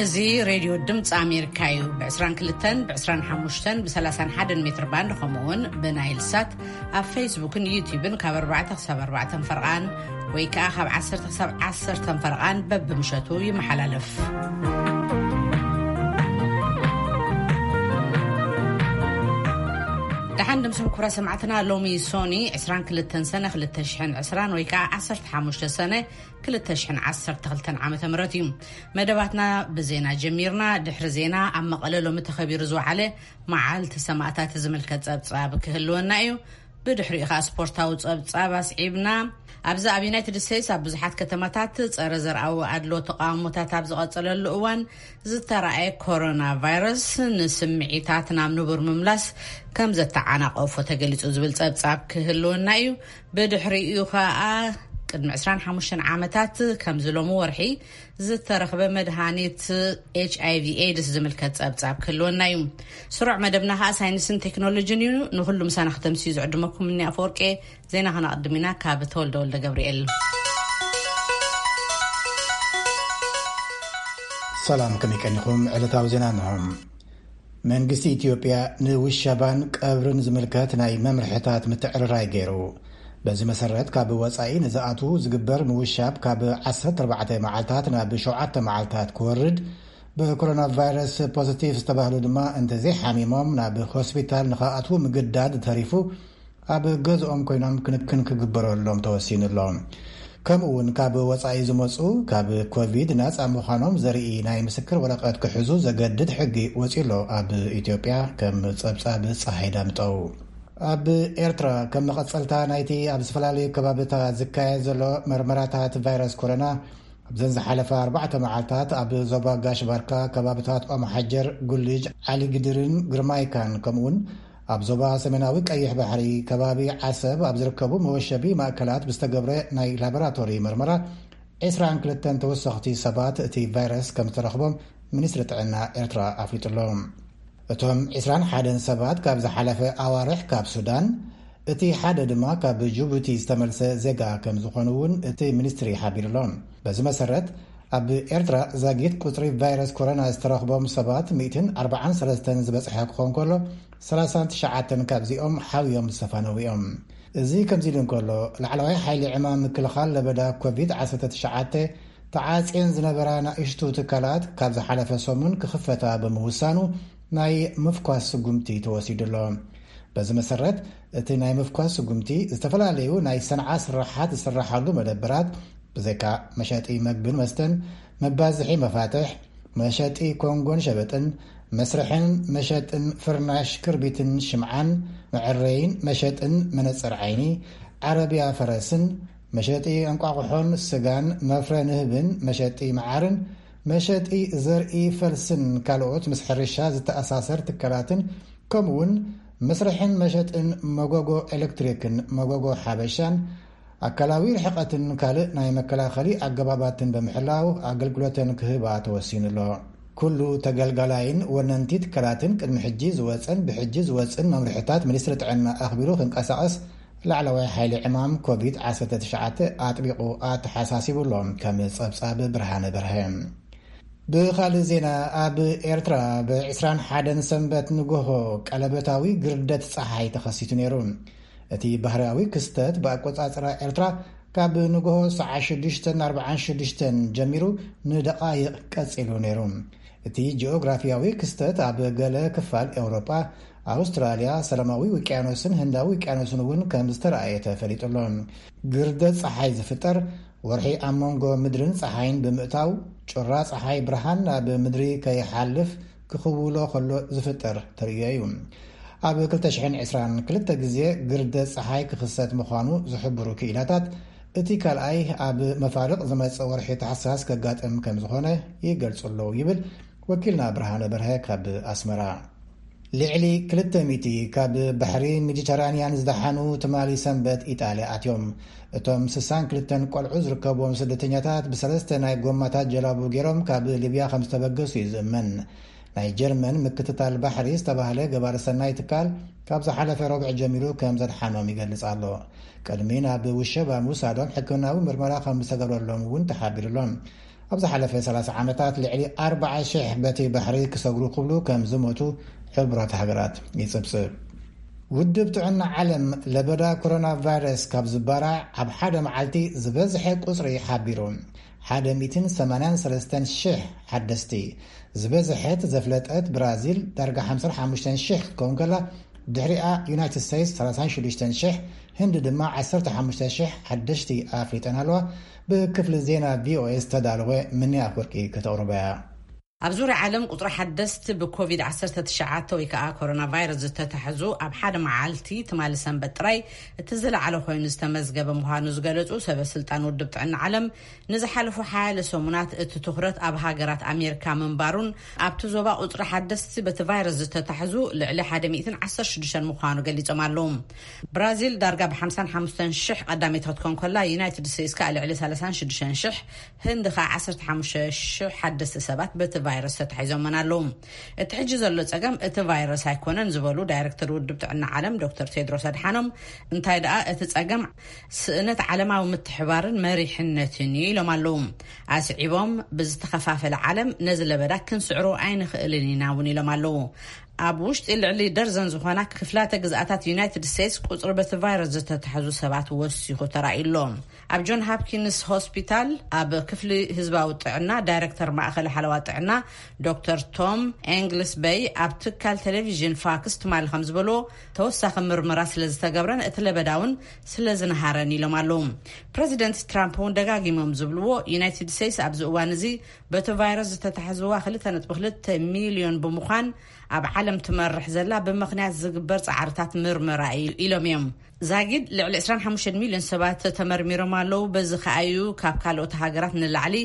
እዚ ሬድዮ ድምፂ ኣሜሪካ እዩ። ብ22፣ ብ25፣ ብ31 ሜትር ባንድ፣ ከምኡ እውን ብናይል ሳት ኣብ ፌስቡክን ዩቲዩብን ካብ ኣርባዕተ ክሳብ ኣርባዕተ ፈርቓን ወይ ከዓ ካብ ዓሰርተ ክሳብ ዓሰርተ ፈርቓን በብምሸቱ ይመሓላለፍ። ደሓን ድምስም ኩብራ ሰማዕትና፣ ሎሚ ሶኒ ዕስራን ክልተን ሰነ ክልተ ሽሕን ዕስራን ወይ ከዓ ዓሰርተ ሓሙሽተ ሰነ ክልተ ሽሕን ዓሰርተ ክልተን ዓመተ ምህረት እዩ። መደባትና ብዜና ጀሚርና። ድሕሪ ዜና ኣብ መቐለ ሎሚ ተኸቢሩ ዝወዓለ መዓልቲ ሰማእታት ዝምልከት ጸብጻብ ክህልወና እዩ። ብድሕሪኡ ኸኣ ስፖርታዊ ጸብጻብ ኣስዒብና። ኣብዚ ኣብ ዩናይትድ ስቴትስ ኣብ ብዙሓት ከተማታት ጸረ ዘርኣዊ ኣድሎ ተቃውሞታት ኣብ ዝቐጸለሉ እዋን ዝተራእየ ኮሮና ቫይረስ ንስምዒታት ናብ ንቡር ምምላስ ከም ዘተዓናቐፎ ተገሊጹ ዝብል ጸብጻብ ክህልወና እዩ። ብድሕሪኡ ኸኣ ቅድሚ ዕስራን ሓሙሽተን ዓመታት ከምዚ ሎሚ ወርሒ ዝተረኽበ መድሃኒት ኤች ኣይ ቪ ኤድስ ዝምልከት ጸብጻብ ክህልወና እዩ። ስሩዕ መደብና ኸኣ ሳይንስን ቴክኖሎጂን እዩ። ንኹሉ ምሳና ክተምስዩ ዝዕድመኩም እኒ ኣፈወርቄ። ዜና ከነቕድም ኢና ካብ ተወልደ ወልደ ገብርኤል። ሰላም፣ ከመይ ቀኒኹም? ዕለታዊ ዜና እንሆ። መንግስቲ ኢትዮጵያ ንውሸባን ቀብርን ዝምልከት ናይ መምርሕታት ምትዕርራይ ገይሩ። በዚ መሰረት፣ ካብ ወጻኢ ንዝኣትዉ ዝግበር ምውሻብ ካብ ዓሰርተ ኣርባዕተ መዓልታት ናብ ሸውዓተ መዓልታት ክወርድ፣ ብኮሮና ቫይረስ ፖዚቲቭ ዝተባህሉ ድማ እንተዘይሓሚሞም ናብ ሆስፒታል ንኸኣትዉ ምግዳድ ተሪፉ፣ ኣብ ገዝኦም ኮይኖም ክንክን ክግበረሎም ተወሲኑ ኣሎ። ከምኡ እውን ካብ ወጻኢ ዝመጹ ካብ ኮቪድ ናጻ ምዃኖም ዘርኢ ናይ ምስክር ወረቐት ክሕዙ ዘገድድ ሕጊ ወጺኡ ኣሎ ኣብ ኢትዮጵያ፣ ከም ጸብጻብ ጸሓይ ዳምጠው። ኣብ ኤርትራ ከም መቐጸልታ ናይቲ ኣብ ዝተፈላለዩ ከባቢታት ዝካየድ ዘሎ መርመራታት ቫይረስ ኮሮና፣ ኣብዘን ዝሓለፋ ኣርባዕተ መዓልታት ኣብ ዞባ ጋሽ ባርካ፣ ከባቢታት ኦም ሓጀር፣ ጉልጅ፣ ዓሊ ግድርን ግርማይካን፣ ከምኡውን ኣብ ዞባ ሰሜናዊ ቀይሕ ባሕሪ ከባቢ ዓሰብ ኣብ ዝርከቡ መወሸቢ ማእከላት ብዝተገብረ ናይ ላቦራቶሪ መርመራ፣ ዕስራን ክልተን ተወሰኽቲ ሰባት እቲ ቫይረስ ከም ዝተረኽቦም ሚኒስትሪ ጥዕና ኤርትራ ኣፍሊጡ ኣሎ። እቶም ዕስራን ሓደን ሰባት ካብ ዝሓለፈ ኣዋርሕ ካብ ሱዳን፣ እቲ ሓደ ድማ ካብ ጅቡቲ ዝተመልሰ ዜጋ ከም ዝኾኑ እውን እቲ ሚኒስትሪ ሓቢሩ ኣሎ። በዚ መሰረት፣ ኣብ ኤርትራ ዛጊት ቁጽሪ ቫይረስ ኮሮና ዝተረኽቦም ሰባት ሚእትን ኣርባዓን ሰለስተን ዝበጽሐ ክኸውን ከሎ፣ ሰላሳን ትሽዓተን ካብዚኦም ሓውዮም ዝተፋነዉ እዮም። እዚ ከምዚ ኢሉ እንከሎ፣ ላዕለዋይ ሓይሊ ዕማም ምክልኻል ለበዳ ኮቪድ ዓሰርተ ትሽዓተ ተዓጽየን ዝነበራ ናእሽቱ ትካላት ካብ ዝሓለፈ ሰሙን ክኽፈታ ብምውሳኑ ናይ ምፍኳስ ስጉምቲ ተወሲዱ ኣሎ። በዚ መሰረት፣ እቲ ናይ ምፍኳስ ስጉምቲ ዝተፈላለዩ ናይ ሰንዓ ስራሓት ዝስራሓሉ መደበራት፣ ብዘይካ መሸጢ መግብን መስተን፣ መባዝሒ መፋትሕ፣ መሸጢ ኮንጎን ሸበጥን፣ መስርሕን መሸጥን ፍርናሽ ክርቢትን ሽምዓን፣ መዐረይን መሸጥን መነጽር ዓይኒ፣ ዓረብያ ፈረስን፣ መሸጢ እንቋቑሖን ስጋን፣ መፍረ ንህብን መሸጢ መዓርን፣ መሸጢ ዘርኢ ፈልስን ካልኦት ምስ ሕርሻ ዝተኣሳሰር ትካላትን፣ ከምኡውን መስርሕን መሸጥን መጎጎ ኤሌክትሪክን መጎጎ ሓበሻን፣ ኣካላዊ ርሕቐትን ካልእ ናይ መከላኸሊ ኣገባባትን ብምሕላው ኣገልግሎተን ክህባ ተወሲኑ ኣሎ። ኩሉ ተገልጋላይን ወነንቲ ትካላትን ቅድሚ ሕጂ ዝወጸን ብሕጂ ዝወጽን መምርሕታት ሚኒስትሪ ጥዕና ኣኽቢሩ ክንቀሳቐስ ላዕለዋይ ሓይሊ ዕማም ኮቪድ ዓሰርተ ትሽዓተ ኣጥቢቑ ኣተሓሳሲቡ ኣሎ። ከም ጸብጻብ ብርሃነ በርሀ። ብኻልእ ዜና፣ ኣብ ኤርትራ ብ ዕስራን ሓደን ሰንበት ንጎሆ ቀለበታዊ ግርደት ጸሓይ ተኸሲቱ ነይሩ። እቲ ባህርያዊ ክስተት ብኣቆጻጽራ ኤርትራ ካብ ንጎሆ ሰዓት ሽዱሽተ ኣርባዓን ሽዱሽተን ጀሚሩ ንደቓይቕ ቀጺሉ ነይሩ። እቲ ጂኦግራፊያዊ ክስተት ኣብ ገለ ክፋል ኤውሮጳ፣ ኣውስትራልያ፣ ሰላማዊ ውቅያኖስን ህንዳዊ ውቅያኖስን እውን ከም ዝተረኣየ ተፈሊጡ ኣሎ። ግርደት ጸሓይ ዝፍጠር፣ ወርሒ ኣብ መንጎ ምድርን ጸሓይን ብምእታው፣ ጩራ ጸሓይ ብርሃን ናብ ምድሪ ከይሓልፍ ክኽውሎ ከሎ ዝፍጠር ተርእዮ እዩ። ኣብ ክልተ ሽሕን ዕስራን ክልተ ግዜ ግርደት ጸሓይ ክኽሰት ምዃኑ ዝሕብሩ ክኢላታት፣ እቲ ካልኣይ ኣብ መፋርቕ ዝመጽእ ወርሒ ታሕሳስ ከጋጥም ከም ዝኾነ ይገልጹ ኣለዉ ይብል ወኪልና ብርሃነ በርሀ ካብ ኣስመራ። ልዕሊ ክልተ ሚእቲ ካብ ባሕሪ ሜዲተራንያን ዝደሓኑ ትማሊ ሰንበት ኢጣልያ ኣትዮም። እቶም ስሳን ክልተን ቆልዑ ዝርከብዎም ስደተኛታት ብሰለስተ ናይ ጎማታት ጀላቡ ገይሮም ካብ ሊብያ ከም ዝተበገሱ እዩ ዝእመን። ናይ ጀርመን ምክትታል ባሕሪ ዝተባህለ ገባሪ ሰናይ ትካል ካብ ዝሓለፈ ረቡዕ ጀሚሩ ከም ዘድሓኖም ይገልጽ ኣሎ። ቅድሚ ናብ ውሸባ ምውሳዶም ሕክምናዊ ምርመራ ከም ዝተገብረሎም እውን ተሓቢሩ ኣሎ። ኣብ ዝሓለፈ ሰላሳ ዓመታት ልዕሊ ኣርባዓ ሽሕ በቲ ባሕሪ ክሰግሩ ክብሉ ከም ዝሞቱ ሕቡራት ሃገራት ይጽብጽብ። ውድብ ጥዕና ዓለም ለበዳ ኮሮና ቫይረስ ካብ ዝባራዕ ኣብ ሓደ መዓልቲ ዝበዝሐ ቁጽሪ ሓቢሩ። ሓደ ሚእትን ሰማንያን ሰለስተን ሽሕ ሓደስቲ ዝበዝሐት ዘፍለጠት ብራዚል፣ ዳርጋ ሓምሳን ሓሙሽተን ሽሕ ክትከውን ከላ፣ ድሕሪኣ ዩናይትድ ስቴትስ ሰላሳን ሽዱሽተን ሽሕ፣ ህንዲ ድማ ዓሰርተ ሓሙሽተ ሽሕ ሓደሽቲ ኣፍሊጠን ኣለዋ። ብክፍሊ ዜና ቪኦኤ ዝተዳለወ ምንያ ኣፍወርቂ ከተቕርቦ እያ። ኣብ ዙርያ ዓለም ቁጽሪ ሓደስቲ ብኮቪድ ዓሰርተ ትሽዓተ ወይ ከዓ ኮሮና ቫይረስ ዝተታሕዙ ኣብ ሓደ መዓልቲ ትማሊ ሰንበት ጥራይ እቲ ዝለዓለ ኮይኑ ዝተመዝገበ ምዃኑ ዝገለጹ ሰበ ስልጣን ውድብ ጥዕና ዓለም፣ ንዝሓለፉ ሓያለ ሰሙናት እቲ ትኹረት ኣብ ሃገራት ኣሜሪካ ምንባሩን ኣብቲ ዞባ ቁጽሪ ሓደስቲ በቲ ቫይረስ ዝተታሕዙ ልዕሊ ሓደ ሚእትን ዓሰርተ ሽዱሽተን ምዃኑ ገሊጾም ኣለዉ። ብራዚል ዳርጋ ብ ሓምሳን ሓሙሽተን ሽሕ ቀዳመይቲ ክትኮን ከላ፣ ዩናይትድ ስቴትስ ከኣ ልዕሊ ሰላሳን ሽዱሽተን ሽሕ፣ ህንዲ ከኣ ዓሰርተ ሓሙሽተ ሽሕ ሓደስቲ ሰባት በቲ ቫይረስ ተታሒዞመን ኣለዉ። እቲ ሕጂ ዘሎ ጸገም እቲ ቫይረስ ኣይኮነን ዝበሉ ዳይሬክተር ውድብ ጥዕና ዓለም ዶክተር ቴድሮስ ኣድሓኖም፣ እንታይ ደኣ እቲ ጸገም ስእነት ዓለማዊ ምትሕባርን መሪሕነትን እዩ ኢሎም ኣለዉ። ኣስዒቦም፣ ብዝተኸፋፈለ ዓለም ነዚ ለበዳ ክንስዕሮ ኣይንኽእልን ኢና እውን ኢሎም ኣለዉ። ኣብ ውሽጢ ልዕሊ ደርዘን ዝኾና ክፍላተ ግዝኣታት ዩናይትድ ስቴትስ ቁጽሪ በቲ ቫይረስ ዝተታሕዙ ሰባት ወሲኹ ተራእዩ ኣሎ። ኣብ ጆን ሃፕኪንስ ሆስፒታል ኣብ ክፍሊ ህዝባዊ ጥዕና ዳይሬክተር ማእኸል ሓለዋ ጥዕና ዶክተር ቶም ኤንግልስ በይ ኣብ ትካል ቴሌቪዥን ፋክስ ትማሊ ከም ዝበልዎ፣ ተወሳኺ ምርመራ ስለ ዝተገብረን እቲ ለበዳ እውን ስለ ዝነሃረን ኢሎም ኣለዉ። ፕረዚደንት ትራምፕ እውን ደጋጊሞም ዝብልዎ፣ ዩናይትድ ስቴትስ ኣብዚ እዋን እዚ በቲ ቫይረስ ዝተታሕዝዋ ክልተ ነጥቢ ክልተ ሚልዮን ብምዃን ኣብ ዓለም ትመርሕ ዘላ ብምኽንያት ዝግበር ጻዕርታት ምርመራ እዩ ኢሎም እዮም። ዛጊድ ልዕሊ ዕስራን ሓሙሽተን ሚልዮን ሰባት ተመርሚሮም ኣለዉ። በዚ ከኣ እዩ ካብ ካልኦት ሃገራት ንላዕሊ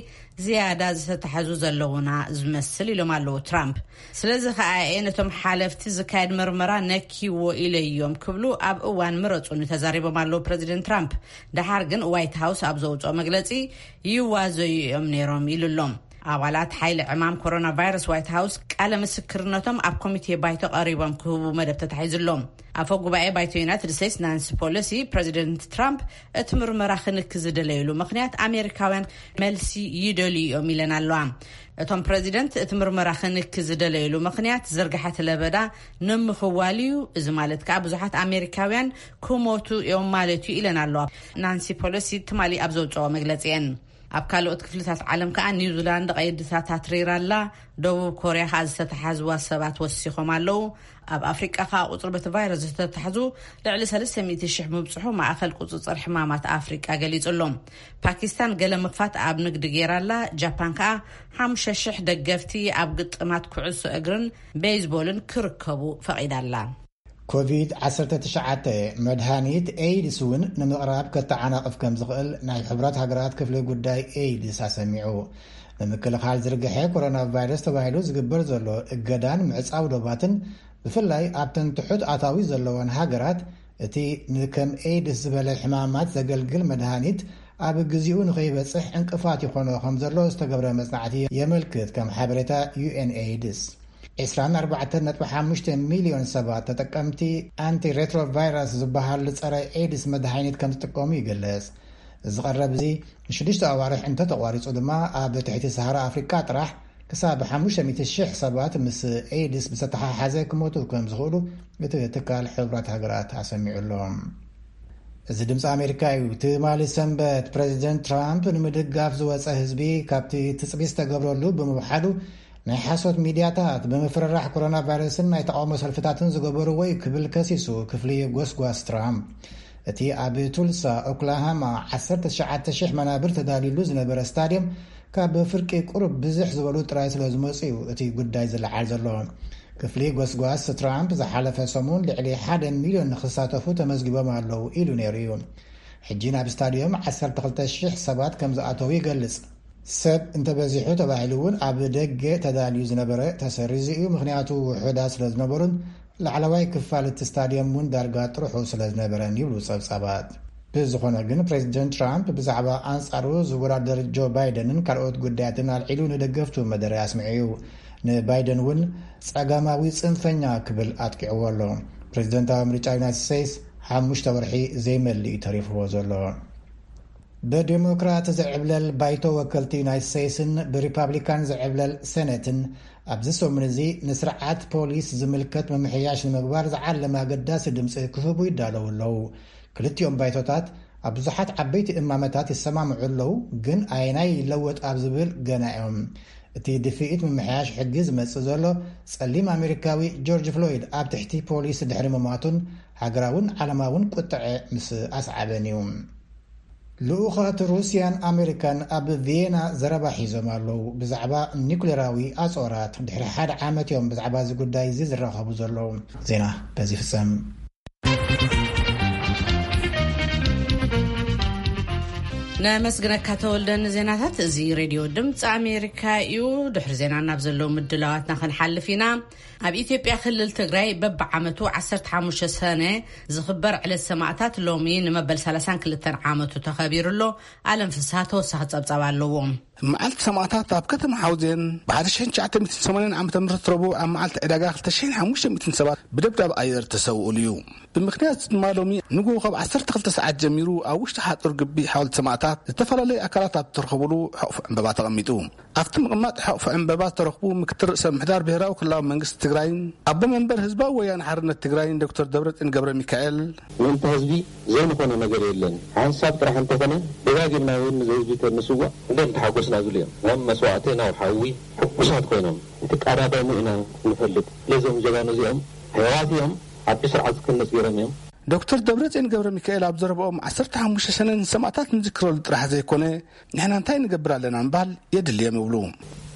ዝያዳ ዝተታሕዙ ዘለዉና ዝመስል ኢሎም ኣለዉ ትራምፕ። ስለዚ ከኣ እየ ነቶም ሓለፍቲ ዝካየድ ምርመራ ነኪዎ ኢለዮም ክብሉ ኣብ እዋን ምረጹኒ ተዛሪቦም ኣለዉ ፕረዚደንት ትራምፕ። ደሓር ግን ዋይት ሃውስ ኣብ ዘውጽኦ መግለጺ ይዋዘዩ እዮም ነይሮም ኢሉ ኣሎ። ኣባላት ሓይሊ ዕማም ኮሮና ቫይረስ ዋይት ሃውስ ቃለ ምስክርነቶም ኣብ ኮሚቴ ባይቶ ቀሪቦም ክህቡ መደብ ተታሒዙ ኣሎ። ኣፈ ጉባኤ ባይቶ ዩናይትድ ስቴትስ ናንሲ ፖሎሲ፣ ፕረዚደንት ትራምፕ እቲ ምርመራ ክንኪ ዝደለይሉ ምኽንያት ኣሜሪካውያን መልሲ ይደልዩ እዮም ኢለን ኣለዋ። እቶም ፕረዚደንት እቲ ምርመራ ክንኪ ዝደለይሉ ምኽንያት ዝርግሐት ለበዳ ንምኽዋል እዩ። እዚ ማለት ከኣ ብዙሓት ኣሜሪካውያን ክሞቱ እዮም ማለት እዩ ኢለን ኣለዋ። ናንሲ ፖሎሲ ትማሊ ኣብ ዘውፅኦ መግለፂ እየን። ኣብ ካልኦት ክፍልታት ዓለም ከኣ ኒውዚላንድ ቀይድታት ኣትሪራ ኣላ። ደቡብ ኮርያ ከኣ ዝተተሓዝዋ ሰባት ወሲኾም ኣለዉ። ኣብ ኣፍሪቃ ከኣ ቁጽሪ በቲ ቫይረስ ዝተተሓዙ ልዕሊ ሰለስተ ሚእቲ ሽሕ ምብጽሑ ማእኸል ቁጽጽር ሕማማት ኣፍሪቃ ገሊጹ ኣሎ። ፓኪስታን ገለ ምኽፋት ኣብ ንግዲ ገይራ ኣላ። ጃፓን ከኣ ሓሙሽተ ሽሕ ደገፍቲ ኣብ ግጥማት ኩዕሶ እግርን ቤይዝቦልን ክርከቡ ፈቒዳ ኣላ። ኮቪድ ዓሰርተ ትሽዓተ መድሃኒት ኤይድስ እውን ንምቕራብ ከተዓናቕፍ ከም ዝኽእል ናይ ሕቡራት ሃገራት ክፍሊ ጉዳይ ኤይድስ ኣሰሚዑ። ንምክልኻል ዝርግሐ ኮሮና ቫይረስ ተባሂሉ ዝግበር ዘሎ እገዳን ምዕጻው ዶባትን፣ ብፍላይ ኣብተን ትሑት ኣታዊ ዘለወን ሃገራት፣ እቲ ንከም ኤይድስ ዝበለ ሕማማት ዘገልግል መድሃኒት ኣብ ግዜኡ ንኸይበጽሕ ዕንቅፋት ይኾኖ ከም ዘሎ ዝተገብረ መጽናዕቲ የመልክት፣ ከም ሓበሬታ ዩኤን ኤይድስ። ዕስራን ኣርባዕተን ነጥቢ ሓሙሽተ ሚልዮን ሰባት ተጠቀምቲ ኣንቲ ሬትሮቫይረስ ዝበሃል ጸረ ኤድስ መድሃኒት ከም ዝጥቀሙ ይግለጽ። እዚ ቀረብ እዚ ንሽዱሽተ ኣዋርሕ እንተተቋሪጹ ድማ፣ ኣብ ትሕቲ ሰሃራ ኣፍሪቃ ጥራሕ ክሳብ ሓሙሽተ ሚእቲ ሽሕ ሰባት ምስ ኤድስ ብዝተተሓሓዘ ክሞቱ ከም ዝኽእሉ እቲ ትካል ሕቡራት ሃገራት ኣሰሚዑ ኣሎ። እዚ ድምፂ ኣሜሪካ እዩ። ትማሊ ሰንበት ፕሬዚደንት ትራምፕ ንምድጋፍ ዝወፀ ህዝቢ ካብቲ ትፅቢት ዝተገብረሉ ብምውሓዱ፣ ናይ ሓሶት ሚድያታት ብምፍርራሕ ኮሮና ቫይረስን ናይ ተቃውሞ ሰልፍታትን ዝገበርዎ እዩ ክብል ከሲሱ ክፍሊ ጎስጓስ ትራምፕ። እቲ ኣብ ቱልሳ ኦክላሃማ ዓሰርተ ትሽዓተ ሽሕ መናብር ተዳልዩሉ ዝነበረ ስታድየም፣ ካብ ፍርቂ ቁሩብ ብዝሕ ዝበሉ ጥራይ ስለ ዝመፁ እዩ እቲ ጉዳይ ዝለዓል ዘሎ። ክፍሊ ጎስጓስ ትራምፕ ዝሓለፈ ሰሙን ልዕሊ ሓደ ሚልዮን ንክሳተፉ ተመዝጊቦም ኣለዉ ኢሉ ነይሩ እዩ። ሕጂ ናብ ስታድዮም ዓሰርተ ክልተ ሽሕ ሰባት ከም ዝኣተዉ ይገልጽ። ሰብ እንተበዚሑ ተባሂሉ እውን ኣብ ደገ ተዳልዩ ዝነበረ ተሰሪዙ እዩ፣ ምኽንያቱ ውሑዳት ስለ ዝነበሩን ላዕለዋይ ክፋል እቲ ስታድዮም እውን ዳርጋ ጥርሑ ስለ ዝነበረን ይብሉ ጸብጻባት። ብዝኾነ ግን፣ ፕሬዚደንት ትራምፕ ብዛዕባ ኣንጻሩ ዝወዳደር ጆ ባይደንን ካልኦት ጉዳያትን ኣልዒሉ ንደገፍቱ መደረ ኣስሚዑ እዩ። ንባይደን እውን ጸጋማዊ ጽንፈኛ ክብል ኣጥቂዕዎ ኣሎ። ፕሬዚደንታዊ ምርጫ ዩናይትድ ስቴትስ ሓሙሽተ ወርሒ ዘይመልእ እዩ ተሪፍዎ ዘሎ። ብዴሞክራት ዝዕብለል ባይቶ ወከልቲ ዩናይትድ ስቴትስን ብሪፓብሊካን ዝዕብለል ሴኔትን ኣብዚ ሰሙን እዚ ንስርዓት ፖሊስ ዝምልከት ምምሕያሽ ንምግባር ዝዓለመ ኣገዳሲ ድምፂ ክህቡ ይዳለዉ ኣለዉ። ክልቲኦም ባይቶታት ኣብ ብዙሓት ዓበይቲ እማመታት ይሰማምዑ ኣለዉ፣ ግን ኣየናይ ይለወጥ ኣብ ዝብል ገና እዮም። እቲ ድፍኢት ምምሕያሽ ሕጊ ዝመጽእ ዘሎ ጸሊም ኣሜሪካዊ ጆርጅ ፍሎይድ ኣብ ትሕቲ ፖሊስ ድሕሪ ምሟቱን ሃገራውን ዓለማውን ቁጥዐ ምስ ኣስዓበን እዩ። ልኡኻት ሩስያን ኣሜሪካን ኣብ ቪየና ዘረባ ሒዞም ኣለዉ። ብዛዕባ ኒኩሌራዊ ኣጾራት ድሕሪ ሓደ ዓመት እዮም ብዛዕባ እዚ ጉዳይ እዚ ዝራኸቡ ዘለዉ። ዜና በዚ ፍጸም። ነመስግነካ ተወልደ ንዜናታት። እዚ ሬድዮ ድምፂ ኣሜሪካ እዩ። ድሕሪ ዜና ናብ ዘለዉ ምድላዋትና ክንሓልፍ ኢና። ኣብ ኢትዮጵያ ክልል ትግራይ በብዓመቱ ዓሰርተ ሓሙሽተ ሰነ ዝኽበር ዕለት ሰማእታት ሎሚ ንመበል ሰላሳን ክልተን ዓመቱ ተኸቢሩ ኣሎ። ኣለም ፍስሃ ተወሳኺ ጸብጻብ ኣለዎ። መዓልቲ ሰማእታት ኣብ ከተማ ሓውዜን ብ ሓደ ሺሕ ትሽዓተ ሚእትን ሰማንያን ዓመተ ምህረት ረቡዕ ኣብ መዓልቲ ዕዳጋ ክልተ ሺሕን ሓሙሽተ ሚእትን ሰባት ብደብዳብ ኣየር ተሰውኡሉ እዩ። ብምኽንያት ድማ ሎሚ ንግሆ ካብ ዓሰርተ ክልተ ሰዓት ጀሚሩ ኣብ ውሽጢ ሓጹር ግቢ ሓወልቲ ሰማእታት ዝተፈላለዩ ኣካላት ኣብ ዝተረኸቡሉ ሕቑፊ ዕምበባ ተቐሚጡ። ኣብቲ ምቕማጥ ሕቑፊ ዕምበባ ዝተረኽቡ ምክትል ርእሰ ምምሕዳር ብሄራዊ ክልላዊ መንግስቲ ትግራይን ኣቦ መንበር ህዝባዊ ወያነ ሓርነት ትግራይን ዶክተር ደብረጽዮን ገብረ ሚካኤል፣ ምእንተ ህዝቢ ዘይንኾኖ ነገር የለን። ሓንሳብ ጥራሕ እንተኾነ ደጋጊምና እውን ንህዝቢ ተንስዋእ እንደ እንተሓጎስና ዝብሉ እዮም። እዞም መስዋእቲ ናብ ሓዊ ሕጉሳት ኮይኖም እንትቃዳደሙ ኢና ንፈልጥ። ስለዞም ጀጋኑ እዚኦም ሕያዋት እዮም። ሓድሽ ስርዓት ክህነጽ ገይሮም እዮም። ዶክተር ደብረጽዮን ገብረ ሚካኤል ኣብ ዘረባኦም ዓሰርተ ሓሙሽተ ሰነ ንሰማእታት ንዝክረሉ ጥራሕ ዘይኮነ ንሕና እንታይ ንገብር ኣለና ምባል የድልዮም ይብሉ።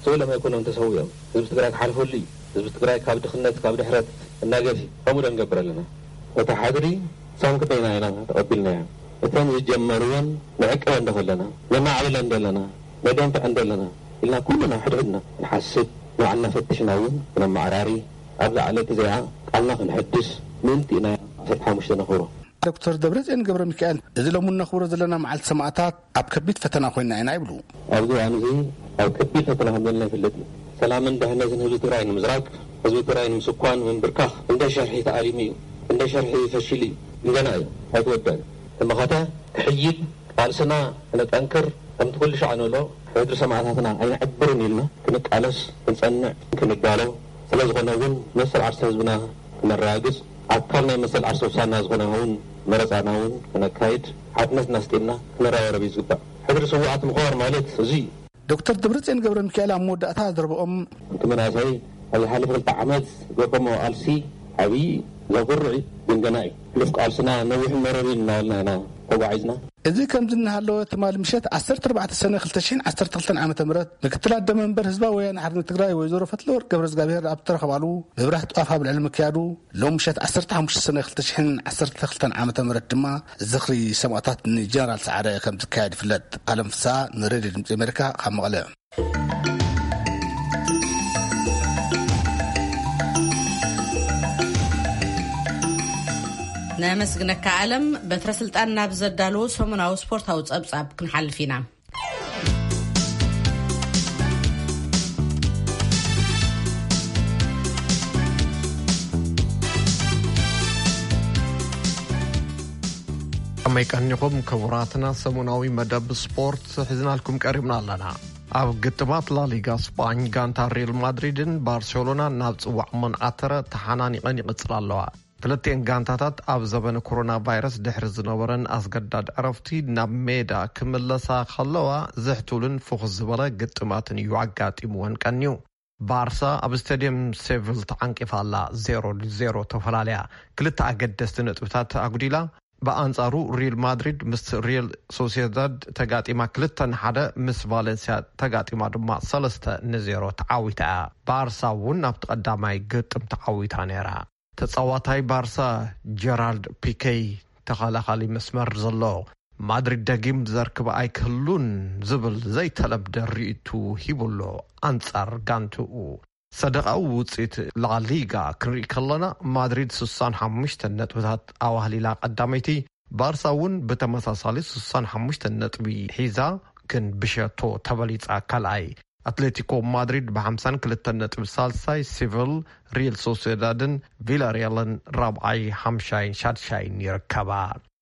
ስብሎም ኣይኮነን ተሰዊኦም። ህዝቢ ትግራይ ክሓልፈሉ እዩ። ህዝቢ ትግራይ ካብ ድኽነት፣ ካብ ድሕረት እናገፊ ከምኡ ዶ ንገብር ኣለና? እታ ሓድሪ ሳም ክንደይና ኢና ተቐቢልናያ? እተን ዝጀመርወን ንዕቀበን ዶ ከለና? ነማዕብለን ዶ ኣለና? ነደንፍዐን ዶ ኣለና? ኢልና ኩልና ሕድሕድና ክንሓስብ፣ ንባዕልና ፈቲሽና እውን ክነመዓራሪ፣ ኣብዛ ዕለት እዚኣ ቃልና ክንሕድስ ምእንቲ ኢና ዓሰርተ ሓሙሽተ ነኽብሮ። ዶክተር ደብረጽዮን ገብረ ሚካኤል፣ እዚ ሎሚ እነኽብሮ ዘለና መዓልቲ ሰማእታት ኣብ ከቢድ ፈተና ኮይና ኢና ይብሉ። ኣብዚ እዋን እዚ ኣብ ከቢድ ፈተና ከም ዘለና ይፍለጥ እዩ። ሰላምን ድሕነትን ህዝቢ ትግራይ ንምዝራግ፣ ህዝቢ ትግራይ ንምስኳን፣ ምንብርካኽ እንደ ሸርሒ ተኣሊሙ እዩ። እንደ ሸርሒ ፈሺሉ እዩ። ግን ገና እዩ። ኣይተወደአን። ተመኸተ ክሕይል ቃልስና ክነጠንክር፣ ከምቲ ኩሉ ሻዕ ንብሎ፣ ሕድሪ ሰማእታትና ኣይንዕብርን ኢልና ክንቃለስ፣ ክንጸንዕ፣ ክንዳሎ፣ ስለ ዝኾነ እውን መሰል ዓርሰ ህዝብና ክነረጋግጽ፣ ኣካል ናይ መሰል ዓርሰ ውሳና ዝኾነ እውን መረጻና እውን ክነካይድ፣ ሓድነትና ኣስጢምና ክነረባረብ እዩ ዝግባእ። ሕድሪ ስውኣት ምኽባር ማለት እዚ እዩ። ዶክተር ደብረጽዮን ገብረ ሚካኤል ኣብ መወዳእታ ዘረብኦም፣ እቲ መናእሰይ ኣብ ዝሓለፈ ክልተ ዓመት ዝገበሞ ቃልሲ ዓብዪ ዘኹርዕ እዩ፣ ግን ገና እዩ። ሕሉፍ ቃልስና ነዊሕን መረርን እናበልና ኢና ተጓዒዝና። እዚ ከምዚ እናሃለወ ትማሊ ምሸት ዓሰርተ ኣርባዕተ ሰነ ክልተ ሽሕን ዓሰርተ ክልተን ዓመተ ምህረት ምክትል ኣደ መንበር ህዝባዊ ወያነ ሓርነት ትግራይ ወይዘሮ ፈትለወርቅ ገብረዝጋብሄር ኣብ እተረኸባሉ ምብራህ ጧፍ ኣብ ልዕሊ ምክያዱ፣ ሎም ምሸት ዓሰርተ ሓሙሽተ ሰነ ክልተ ሽሕን ዓሰርተ ክልተን ዓመተ ምህረት ድማ ዝኽሪ ሰማእታት ንጀነራል ሰዓረ ከም ዝካየድ ይፍለጥ። ኣለም ፍስሃ ንሬድዮ ድምፂ ኣሜሪካ ካብ መቐለ። ነመስግነካ ኣለም። በትረ ስልጣን ናብ ዘዳለዎ ሰሙናዊ ስፖርታዊ ጸብጻብ ክንሓልፍ ኢና። ከመይ ቀኒኹም ክቡራትና? ሰሙናዊ መደብ ስፖርት ሒዝናልኩም ቀሪብና ኣለና። ኣብ ግጥማት ላሊጋ ስጳኝ ጋንታ ሪል ማድሪድን ባርሴሎናን ናብ ጽዋዕ መን ኣተረ ተሓናኒቐን ይቕጽላ ኣለዋ። ክልቲኤን ጋንታታት ኣብ ዘበነ ኮሮና ቫይረስ ድሕሪ ዝነበረን ኣስገዳድ ዕረፍቲ ናብ ሜዳ ክምለሳ ከለዋ ዝሕቱልን ፍኹስ ዝበለ ግጥማትን እዩ ኣጋጢምወን ቀንዩ። ባርሳ ኣብ ስቴድየም ሴቪል ተዓንቂፋ ኣላ፣ ዜሮ ዜሮ ተፈላለያ። ክልተ ኣገደስቲ ነጥብታት ኣጉዲላ። ብኣንጻሩ ሪል ማድሪድ ምስ ሪል ሶሲዳድ ተጋጢማ ክልተ ንሓደ፣ ምስ ቫለንሲያ ተጋጢማ ድማ ሰለስተ ንዜሮ ተዓዊታ እያ። ባርሳ እውን ኣብቲ ቀዳማይ ግጥም ተዓዊታ ነይራ። ተጻዋታይ ባርሳ ጀራልድ ፒኬ ተኸላኻሊ መስመር ዘሎ ማድሪድ ደጊም ዘርክብ ኣይክህሉን ዝብል ዘይተለምደ ርእይቱ ሂቡሎ ኣንጻር ጋንትኡ። ሰደቓዊ ውጽኢት ላሊጋ ክንርኢ ከለና ማድሪድ ስሳን ሓሙሽተ ነጥብታት ኣዋህሊላ ቀዳመይቲ፣ ባርሳ እውን ብተመሳሳሊ ስሳን ሓሙሽተ ነጥቢ ሒዛ ግን ብሸቶ ተበሊጻ ካልኣይ። ኣትሌቲኮ ማድሪድ ብሓምሳን ክልተን ነጥቢ ሳልሳይ፣ ሲቪል፣ ሪል ሶሴዳድን ቪላሪያልን ራብዓይ፣ ሓምሻይን ሻድሻይን ይርከባ።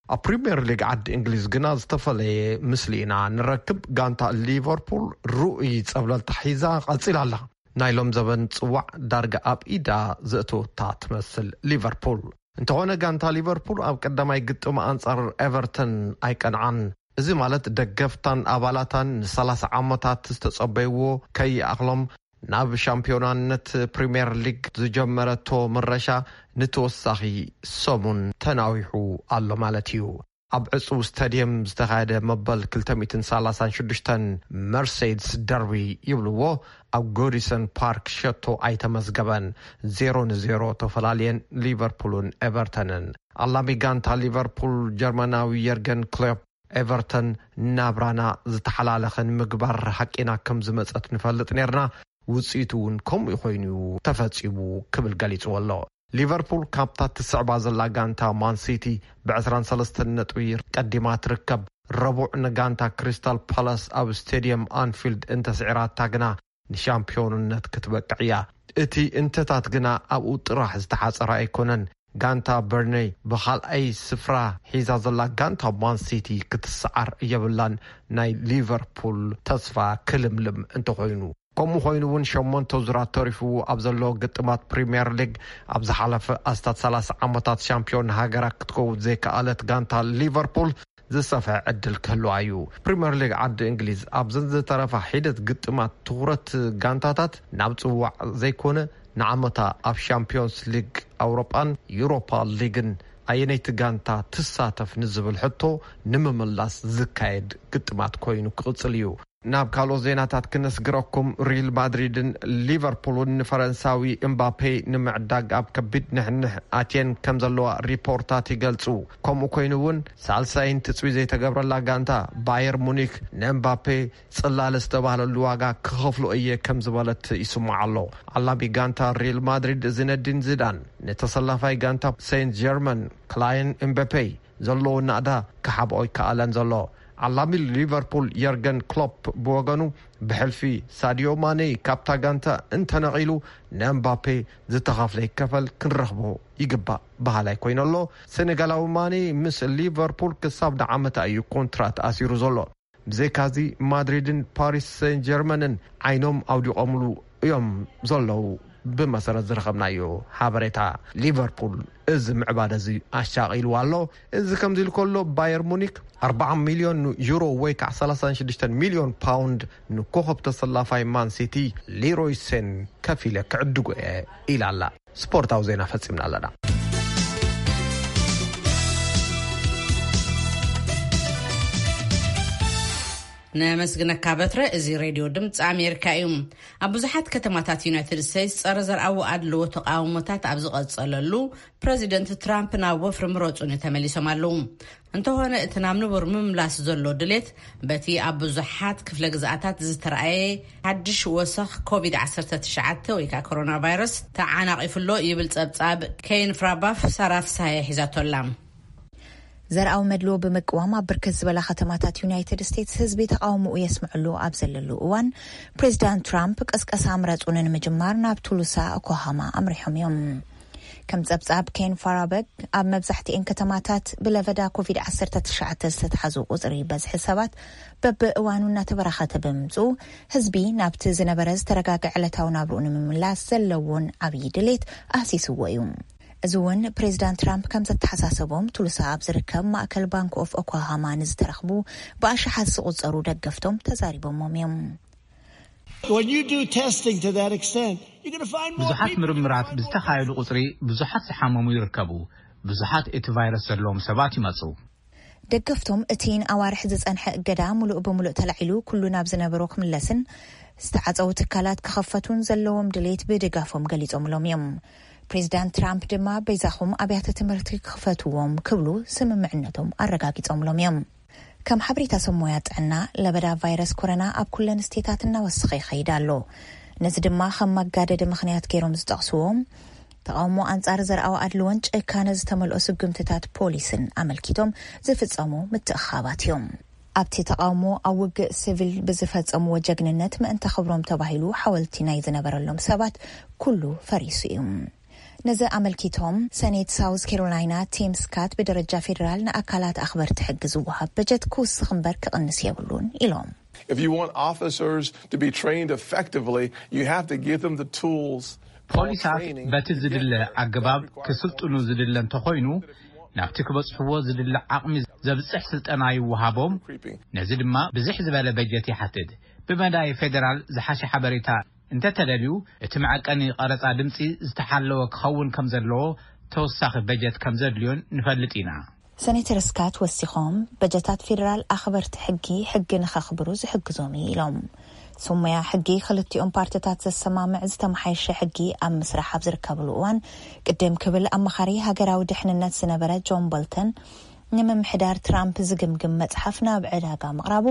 ኣብ ፕሪምየር ሊግ ዓዲ እንግሊዝ ግና ዝተፈለየ ምስሊ ኢና ንረክብ። ጋንታ ሊቨርፑል ርኡይ ጸብለልታ ሒዛ ቀጺላ ኣላ። ናይ ሎም ዘበን ጽዋዕ ዳርጋ ኣብ ኢዳ ዘእተወታ ትመስል ሊቨርፑል። እንተኾነ ጋንታ ሊቨርፑል ኣብ ቀዳማይ ግጥም ኣንጻር ኤቨርተን ኣይቀንዓን። እዚ ማለት ደገፍታን ኣባላታን ንሰላሳ ዓመታት ዝተጸበይዎ ከይኣኽሎም ናብ ሻምፒዮናነት ፕሪምየር ሊግ ዝጀመረቶ ምረሻ ንተወሳኺ ሰሙን ተናዊሑ ኣሎ ማለት እዩ። ኣብ ዕጹው ስታድየም ዝተኻየደ መበል ክልተ ሚእትን ሰላሳን ሽዱሽተን መርሴይድስ ደርቢ ይብልዎ ኣብ ጎዲሰን ፓርክ ሸቶ ኣይተመዝገበን። ዜሮ ንዜሮ ተፈላልየን ሊቨርፑልን ኤቨርተንን። ኣላሚ ጋንታ ሊቨርፑል ጀርመናዊ የርገን ክሎፕ ኤቨርተን ናብራና ዝተሓላለኸ ንምግባር ሓቂና ከም ዝመጸት ንፈልጥ ነርና፣ ውጽኢቱ እውን ከምኡ ኮይኑ ተፈጺሙ ክብል ገሊጽዎ ኣሎ። ሊቨርፑል ካብታ ትስዕባ ዘላ ጋንታ ማን ሲቲ ብ ዕስራን ሰለስተን ነጥቢ ቀዲማ ትርከብ። ረቡዕ ንጋንታ ክሪስታል ፓላስ ኣብ ስቴድየም ኣንፊልድ እንተስዒራታ ግና ንሻምፒዮንነት ክትበቅዕ እያ። እቲ እንተታት ግና ኣብኡ ጥራሕ ዝተሓጸረ ኣይኮነን። ጋንታ በርነይ ብኻልኣይ ስፍራ ሒዛ ዘላ ጋንታ ማን ሲቲ ክትሰዓር የብላን። ናይ ሊቨርፑል ተስፋ ክልምልም እንተኾይኑ። ከምኡ ኮይኑ እውን ሸሞንተ ዙራት ተሪፉ ኣብ ዘሎ ግጥማት ፕሪምየር ሊግ ኣብ ዝሓለፈ ኣስታት ሰላሳ ዓመታት ሻምፒዮን ሃገራ ክትከውን ዘይከኣለት ጋንታ ሊቨርፑል ዝሰፍሐ ዕድል ክህልዋ እዩ። ፕሪምየር ሊግ ዓዲ እንግሊዝ ኣብዘን ዝተረፋ ሒደት ግጥማት ትኹረት ጋንታታት ናብ ጽዋዕ ዘይኮነ ንዓመታ ኣብ ሻምፒዮንስ ሊግ ኣውሮጳን ዩሮፓ ሊግን ኣየነይቲ ጋንታ ትሳተፍ ንዝብል ሕቶ ንምምላስ ዝካየድ ግጥማት ኮይኑ ክቕጽል እዩ። ናብ ካልኦት ዜናታት ክነስግረኩም፣ ሪል ማድሪድን ሊቨርፑልን ንፈረንሳዊ እምባፔ ንምዕዳግ ኣብ ከቢድ ንሕንሕ ኣትየን ከም ዘለዋ ሪፖርታት ይገልጹ። ከምኡ ኮይኑ እውን ሳልሳይን ትጽቢ ዘይተገብረላ ጋንታ ባየር ሙኒክ ንእምባፔ ጽላለ ዝተባህለሉ ዋጋ ክኸፍሎ እየ ከም ዝበለት ይስማዕ ኣሎ። ኣላቢ ጋንታ ሪል ማድሪድ ዚነዲን ዚዳን ንተሰላፋይ ጋንታ ሴንት ጀርመን ክላይን እምበፔ ዘለዎ ናእዳ ክሓብኦ ይከኣለን ዘሎ። ዓላሚ ሊቨርፑል የርገን ክሎፕ ብወገኑ፣ ብሕልፊ ሳዲዮ ማኔ ካብታ ጋንታ እንተነቒሉ፣ ንኤምባፔ ዝተኸፍለ ይከፈል፣ ክንረኽቦ ይግባእ በሃላይ ኮይኑ ኣሎ። ሴኔጋላዊ ማኔ ምስ ሊቨርፑል ክሳብ ንዓመታ እዩ ኮንትራት ኣሲሩ ዘሎ። ብዘይካዚ፣ ማድሪድን ፓሪስ ሴን ጀርመንን ዓይኖም ኣውዲቖምሉ እዮም ዘለዉ። ብመሰረት ዝረኸብናዮ ሓበሬታ፣ ሊቨርፑል እዚ ምዕባለ እዚ ኣሻቒልዋ ኣሎ። እዚ ከምዚ ኢሉ ከሎ፣ ባየር ሙኒክ ኣርብዓ ሚልዮን ዩሮ ወይ ከዓ ሰላሳን ሽዱሽተን ሚልዮን ፓውንድ ንኮኸብ ተሰላፋይ ማን ሲቲ ሊሮይ ሴን ከፊለ ክዕድጎ እየ ኢላ ኣላ። ስፖርታዊ ዜና ፈጺምና ኣለና። ነመስግነካ በትረ። እዚ ሬድዮ ድምፂ ኣሜሪካ እዩ። ኣብ ብዙሓት ከተማታት ዩናይትድ ስቴትስ ጸረ ዘርኣዊ ኣድልዎ ተቃውሞታት ኣብ ዝቐጸለሉ፣ ፕረዚደንት ትራምፕ ናብ ወፍሪ ምረጹኒ ተመሊሶም ኣለዉ። እንተኾነ፣ እቲ ናብ ንቡር ምምላስ ዘሎ ድሌት፣ በቲ ኣብ ብዙሓት ክፍለ ግዝኣታት ዝተረኣየ ሓድሽ ወሰኽ ኮቪድ ዓሰርተ ትሽዓተ ወይ ከዓ ኮሮና ቫይረስ ተዓናቒፉ ኣሎ ይብል ጸብጻብ ኬን ፍራባፍ። ሳራ ፍስሃየ ሒዛቶ ኣላ። ዘርኣዊ መድልዎ ብምቅዋም ኣብ ብርክት ዝበላ ከተማታት ዩናይትድ ስቴትስ ህዝቢ ተቃውሞኡ የስምዐሉ ኣብ ዘለሉ እዋን፣ ፕሬዚዳንት ትራምፕ ቅስቀሳ ምረጹኒ ንምጅማር ናብ ቱሉሳ ኦክላሆማ ኣምሪሖም እዮም። ከም ጸብጻብ ኬን ፋራበግ፣ ኣብ መብዛሕትኤን ከተማታት ብለበዳ ኮቪድ ዓሰርተ ትሽዓተ ዝተትሓዙ ቁጽሪ በዝሒ ሰባት በብእዋኑ እናተበራኸተ ብምምጽኡ፣ ህዝቢ ናብቲ ዝነበረ ዝተረጋገዐ ዕለታዊ ናብርኡ ንምምላስ ዘለዎን ዓብዪ ድሌት ኣህሲስዎ እዩ። እዚ እውን ፕሬዚዳንት ትራምፕ ከም ዘተሓሳሰቦም፣ ቱሉሳ ኣብ ዝርከብ ማእከል ባንክ ኦፍ ኦክላሃማ ንዝተረኽቡ ብኣሽሓት ዝቑጸሩ ደገፍቶም ተዛሪቦሞም እዮም። When you do testing to that extent, you're going to find more ብዙሓት people. ምርምራት ብዝተኻየዱ ቁፅሪ ብዙሓት ዝሓመሙ ይርከቡ። ብዙሓት እቲ ቫይረስ ዘለዎም ሰባት ይመፁ። ደገፍቶም እቲ ንኣዋርሕ ዝጸንሐ እገዳ ምሉእ ብምሉእ ተላዒሉ ኩሉ ናብ ዝነበሮ ክምለስን ዝተዓጸዉ ትካላት ክኸፈቱን ዘለዎም ድሌት ብድጋፎም ገሊጾምሎም እዮም። ፕሬዚዳንት ትራምፕ ድማ በይዛኹም ኣብያተ ትምህርቲ ክኽፈትዎም ክብሉ ስምምዕነቶም ኣረጋጊጾምሎም እዮም። ከም ሓበሬታ ሰብ ሞያ ጥዕና፣ ለበዳ ቫይረስ ኮረና ኣብ ኩለን ስቴታት እናወሰኸ ይኸይድ ኣሎ። ነዚ ድማ ከም መጋደዲ ምኽንያት ገይሮም ዝጠቕስዎም፣ ተቓውሞ ኣንጻር ዘርኣዊ ኣድልዎን ጭካነ ዝተመልኦ ስጉምትታት ፖሊስን ኣመልኪቶም ዝፍጸሙ ምትእኻባት እዮም። ኣብቲ ተቓውሞ ኣብ ውግእ ሲቪል ብዝፈጸምዎ ጀግንነት ምእንተ ክብሮም ተባሂሉ ሓወልቲ ናይ ዝነበረሎም ሰባት ኩሉ ፈሪሱ እዩ። ነዚ ኣመልኪቶም ሰኔት ሳውዝ ካሮላይና ቲም ስካት ብደረጃ ፌዴራል ንኣካላት ኣኽበርቲ ሕጊ ዝወሃብ በጀት ክውስኽ እምበር ክቕንስ የብሉን ኢሎም። If you want officers to be trained effectively, you have to give them the tools. ፖሊሳት በቲ ዝድለ ኣገባብ ክስልጥኑ ዝድለ እንተኾይኑ፣ ናብቲ ክበጽሕዎ ዝድለ ዓቕሚ ዘብጽሕ ስልጠና ይወሃቦም። ነዚ ድማ ብዝሕ ዝበለ በጀት ይሓትት። ብመዳይ ፌደራል ዝሓሸ ሓበሬታ እንተተደልዩ፣ እቲ መዐቀኒ ቀረጻ ድምጺ ዝተሓለወ ክኸውን ከም ዘለዎ ተወሳኺ በጀት ከም ዘድልዮን ንፈልጥ ኢና። ሰኔተር ስካት ወሲኾም፣ በጀታት ፌደራል ኣኽበርቲ ሕጊ፣ ሕጊ ንኸኽብሩ ዝሕግዞም እዩ ኢሎም። ስሙያ ሕጊ ክልቲኦም ፓርቲታት ዘሰማምዕ ዝተመሓየሸ ሕጊ ኣብ ምስራሕ ኣብ ዝርከብሉ እዋን፣ ቅድም ክብል ኣማኻሪ ሃገራዊ ድሕንነት ዝነበረ ጆን ቦልተን፣ ንምምሕዳር ትራምፕ ዝግምግም መጽሓፍ ናብ ዕዳጋ ምቕራቡ፣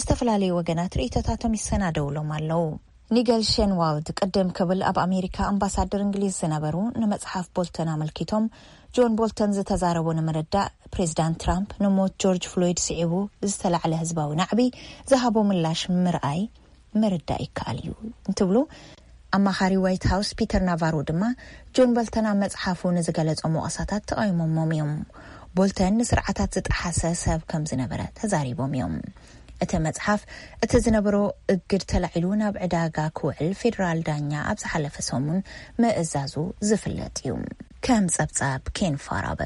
ዝተፈላለዩ ወገናት ርእይቶታቶም ይሰናደውሎም ኣለዉ። ኒገል ሼንዋልድ ቅድም ክብል ኣብ ኣሜሪካ ኣምባሳደር እንግሊዝ ዝነበሩ፣ ንመጽሓፍ ቦልተን ኣመልኪቶም፣ ጆን ቦልተን ዝተዛረቦ ንምርዳእ፣ ፕሬዚዳንት ትራምፕ ንሞት ጆርጅ ፍሎይድ ስዒቡ ዝተላዕለ ህዝባዊ ናዕቢ ዝሃቦ ምላሽ ምርኣይ ምርዳእ ይከኣል እዩ እንትብሉ፣ ኣማኻሪ ዋይት ሃውስ ፒተር ናቫሮ ድማ፣ ጆን ቦልተን ኣብ መጽሓፉ ንዝገለጾም ወቐሳታት ተቓይሞሞም እዮም። ቦልተን ንስርዓታት ዝጠሓሰ ሰብ ከም ዝነበረ ተዛሪቦም እዮም። እቲ መጽሓፍ፣ እቲ ዝነበሮ እግድ ተላዒሉ ናብ ዕዳጋ ክውዕል ፌደራል ዳኛ ኣብ ዝሓለፈ ሰሙን ምእዛዙ ዝፍለጥ እዩ። ከም ጸብጻብ ኬን ፋራበ።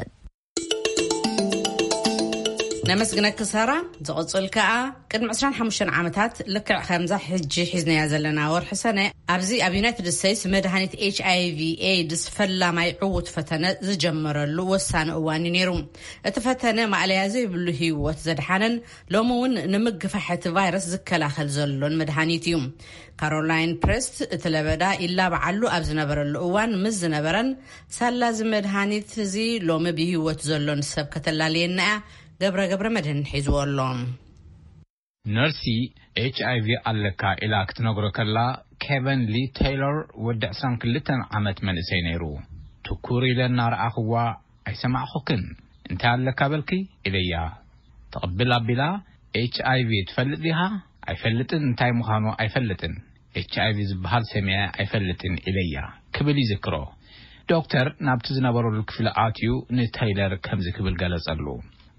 ነመስግነኪ ሳራ። ዝቕጽል ከኣ፣ ቅድሚ ዕስራን ሓሙሽተን ዓመታት፣ ልክዕ ከምዛ ሕጂ ሒዝናያ ዘለና ወርሒ ሰነ፣ ኣብዚ ኣብ ዩናይትድ ስቴትስ መድሃኒት ኤች ኣይ ቪ ኤድስ ፈላማይ ዕዉት ፈተነ ዝጀመረሉ ወሳኒ እዋን እዩ ነይሩ። እቲ ፈተነ ማእለያ ዘይብሉ ህይወት ዘድሓነን ሎሚ እውን ንምግፋሕ እቲ ቫይረስ ዝከላኸል ዘሎን መድሃኒት እዩ። ካሮላይን ፕሬስት እቲ ለበዳ ይላባዓሉ ኣብ ዝነበረሉ እዋን ምስ ዝነበረን፣ ሳላ እዚ መድሃኒት እዚ ሎሚ ብህይወት ዘሎን ሰብ ከተላልየና እያ፣ ገብረ ገብረ መድህን ሒዝዎ ኣሎ። ነርሲ ኤች ኣይ ቪ ኣለካ ኢላ ክትነግሮ ከላ፣ ኬቨን ሊ ቴይሎር ወዲ ዕስራን ክልተን ዓመት መንእሰይ ነይሩ። ትኩር ኢለ እናረኣኽዋ፣ ኣይሰማዕኹክን። እንታይ ኣለካ በልኪ? ኢለያ። ትቕብል ኣቢላ፣ ኤች ኣይ ቪ ትፈልጥ ዲኻ? ኣይፈልጥን፣ እንታይ ምዃኑ ኣይፈልጥን። ኤች ኣይ ቪ ዝበሃል ሰሚዐ ኣይፈልጥን ኢለያ ክብል ይዝክሮ። ዶክተር ናብቲ ዝነበረሉ ክፍሊ ኣትዩ ንተይለር ከምዚ ክብል ገለጸሉ።